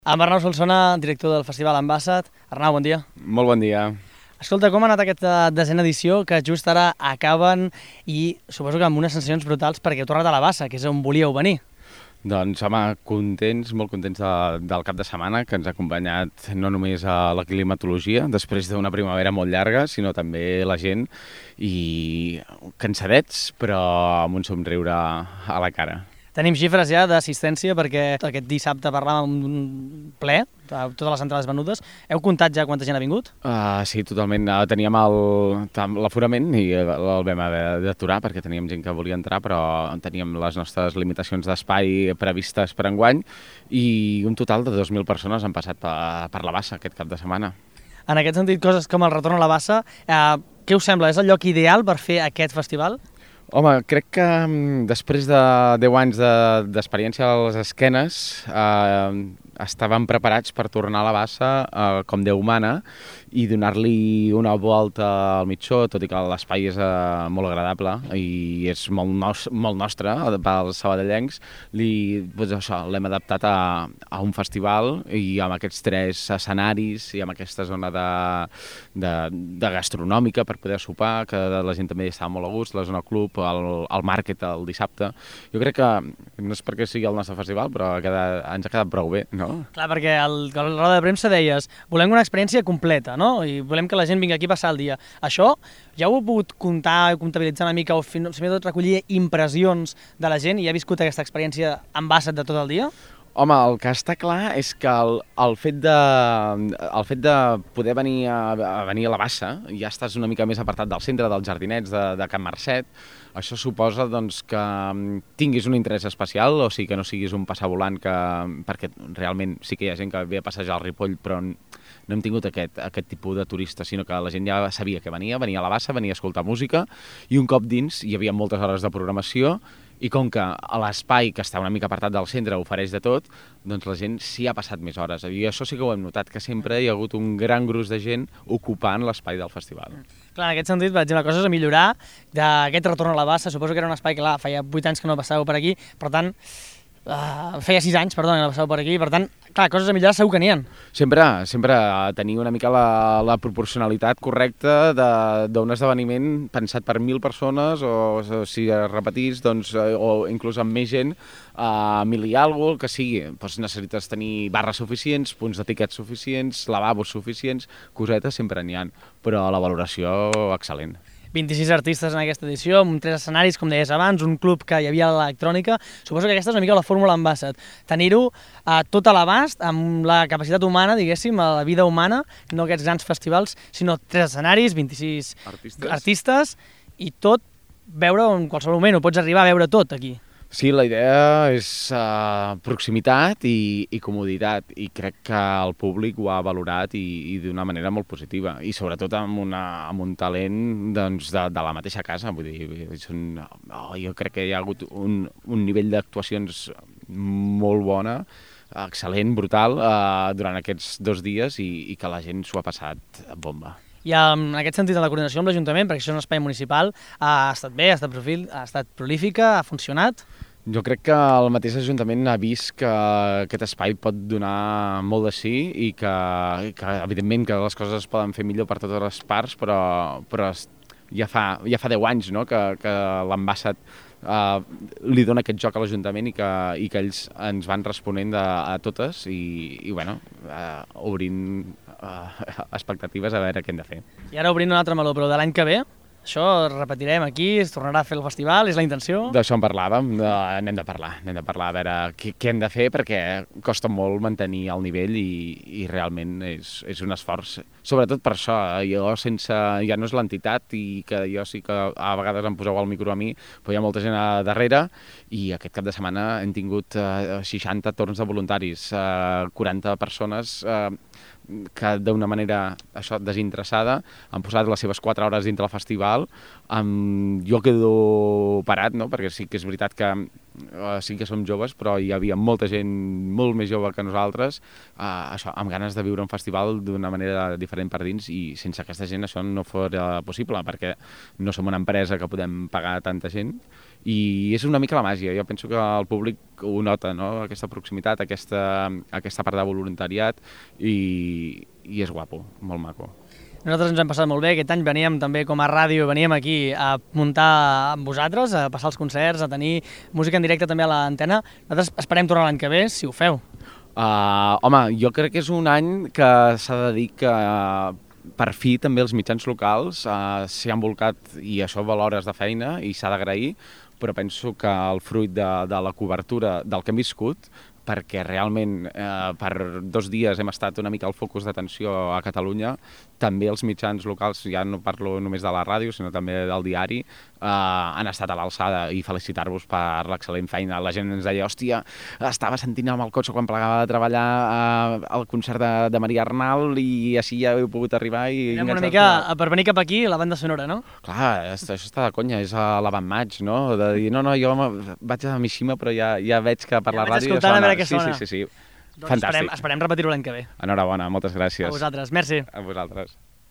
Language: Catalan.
Amb Arnau Solsona, director del Festival Ambassat. Arnau, bon dia. Molt bon dia. Escolta, com ha anat aquesta desena edició, que just ara acaben i suposo que amb unes sensacions brutals perquè heu tornat a la Bassa, que és on volíeu venir. Doncs, home, contents, molt contents del cap de setmana, que ens ha acompanyat no només a la climatologia, després d'una primavera molt llarga, sinó també la gent, i cansadets, però amb un somriure a la cara. Tenim xifres ja d'assistència perquè aquest dissabte parlàvem d'un ple, totes les entrades venudes. Heu comptat ja quanta gent ha vingut? Sí, totalment. Teníem l'aforament i el vam haver d'aturar perquè teníem gent que volia entrar, però teníem les nostres limitacions d'espai previstes per enguany i un total de 2.000 persones han passat per la Bassa aquest cap de setmana. En aquest sentit, coses com el retorn a la Bassa, què us sembla? És el lloc ideal per fer aquest festival? Home, crec que després de 10 anys d'experiència a les esquenes estàvem preparats per tornar a la Bassa com Déu mana i donar-li una volta al mitjó, tot i que l'espai és molt agradable i és molt nostre pels sabadellencs. L'hem adaptat a un festival i amb aquests 3 escenaris i amb aquesta zona de gastronòmica per poder sopar, que la gent també estava molt a gust, la zona club, el màrquet el dissabte. Jo crec que no és perquè sigui el nostre festival, però ens ha quedat prou bé, no? Clar, perquè a la roda de premsa deies volem una experiència completa, no? I volem que la gent vingui aquí a passar el dia. Això ja ho heu pogut comptar, comptabilitzar una mica o fins i tot recollir impressions de la gent i ha viscut aquesta experiència en Ambassat de tot el dia? Home, el que està clar és que el fet de poder venir a la Bassa, ja estàs una mica més apartat del centre, dels jardinets de Can Marcet, això suposa doncs, que tinguis un interès especial, o sigui que no siguis un passavolant, perquè realment sí que hi ha gent que ve a passejar al Ripoll, però no hem tingut aquest tipus de turista, sinó que la gent ja sabia que venia a la Bassa, venia a escoltar música, i un cop dins hi havia moltes hores de programació, i com que l'espai, que està una mica apartat del centre, ofereix de tot, doncs la gent s'hi ha passat més hores. I això sí que ho hem notat, que sempre hi ha hagut un gran gruix de gent ocupant l'espai del festival. Clar, en aquest sentit, per exemple, coses a millorar d'aquest retorn a la Bassa. Suposo que era un espai que, feia 8 anys que no passàveu per aquí, per tant, feia 6 anys, perdó, que no passàveu per aquí, per tant, clar, coses a millorar segur que n'hi ha. Sempre tenir una mica la proporcionalitat correcta d'un esdeveniment pensat per 1.000 persones, o si es repetís, doncs, o inclús amb més gent, 1.000 i alguna cosa, que sigui. Doncs necessites tenir barres suficients, punts de tiquets suficients, lavabos suficients, cosetes sempre n'hi ha, però la valoració excel·lent. 26 artistes en aquesta edició, amb 3 escenaris, com deies abans, un club que hi havia a l'electrònica. Suposo que aquesta és una mica la fórmula Ambassat. Tenir-ho tot a l'abast, amb la capacitat humana, diguéssim, a la vida humana, no aquests grans festivals, sinó 3 escenaris, 26 artistes i tot veure en qualsevol moment, ho pots arribar a veure tot aquí. Sí, la idea és proximitat i comoditat, i crec que el públic ho ha valorat i d'una manera molt positiva, i sobretot amb un talent doncs, de la mateixa casa. Vull dir, jo crec que hi ha hagut un nivell d'actuacions molt bona, excel·lent, brutal, durant aquests 2 dies, i que la gent s'ho ha passat bomba. I en aquest sentit, de la coordinació amb l'Ajuntament, perquè això és un espai municipal, ha estat bé, ha estat prolífica, ha funcionat? Jo crec que el mateix Ajuntament ha vist que aquest espai pot donar molt de sí i que evidentment, que les coses es poden fer millor per totes les parts, però ja fa 10 anys, no?, que l'Ambassat li dona aquest joc a l'Ajuntament i que ells ens van responent a totes i bueno, obrint expectatives a veure què hem de fer. I ara obrint un altre meló, però de l'any que ve, això repetirem aquí, es tornarà a fer el festival, és la intenció? D'això en parlàvem, n'hem de parlar a veure què hem de fer, perquè costa molt mantenir el nivell i realment és un esforç. Sobretot per això, ja no és l'entitat, i que jo sí que a vegades em poseu el micro a mi, però hi ha molta gent a darrere, i aquest cap de setmana hem tingut 60 torns de voluntaris, 40 persones que d'una manera desinteressada han posat les seves 4 hores dintre del festival. Jo quedo parat, no?, perquè sí que és veritat que sí que som joves, però hi havia molta gent molt més jove que nosaltres, això, amb ganes de viure un festival d'una manera diferent per dins, i sense aquesta gent això no fora possible, perquè no som una empresa que podem pagar tanta gent, i és una mica la màgia. Jo penso que el públic ho nota, no? Aquesta proximitat, aquesta part de voluntariat, i és guapo, molt maco. Nosaltres ens hem passat molt bé, aquest any veníem també com a ràdio, veníem aquí a muntar amb vosaltres, a passar els concerts, a tenir música en directe també a l'antena. Nosaltres esperem tornar l'any que ve, si ho feu. Home, jo crec que és un any que s'ha de dir que per fi també els mitjans locals s'hi han volcat, i això val hores de feina i s'ha d'agrair, però penso que el fruit de la cobertura del que hem viscut, perquè realment per 2 dies hem estat una mica al focus d'atenció a Catalunya, també els mitjans locals, ja no parlo només de la ràdio, sinó també del diari, han estat a l'alçada, i felicitar-vos per l'excel·lent feina. La gent ens deia, hòstia, estava sentint amb el cotxe quan plegava de treballar al concert de Maria Arnal, i així ja heu pogut arribar. Una mica, per venir cap aquí, la banda sonora, no? Clar, això està de conya, és a l'avantmatch, no? De dir, no, jo vaig a Mishima, però ja veig que per la ràdio ja sona. Sí. Doncs fantàstic. Esperem repetir-ho l'any que ve. Enhorabona, moltes gràcies. A vosaltres, merci. A vosaltres.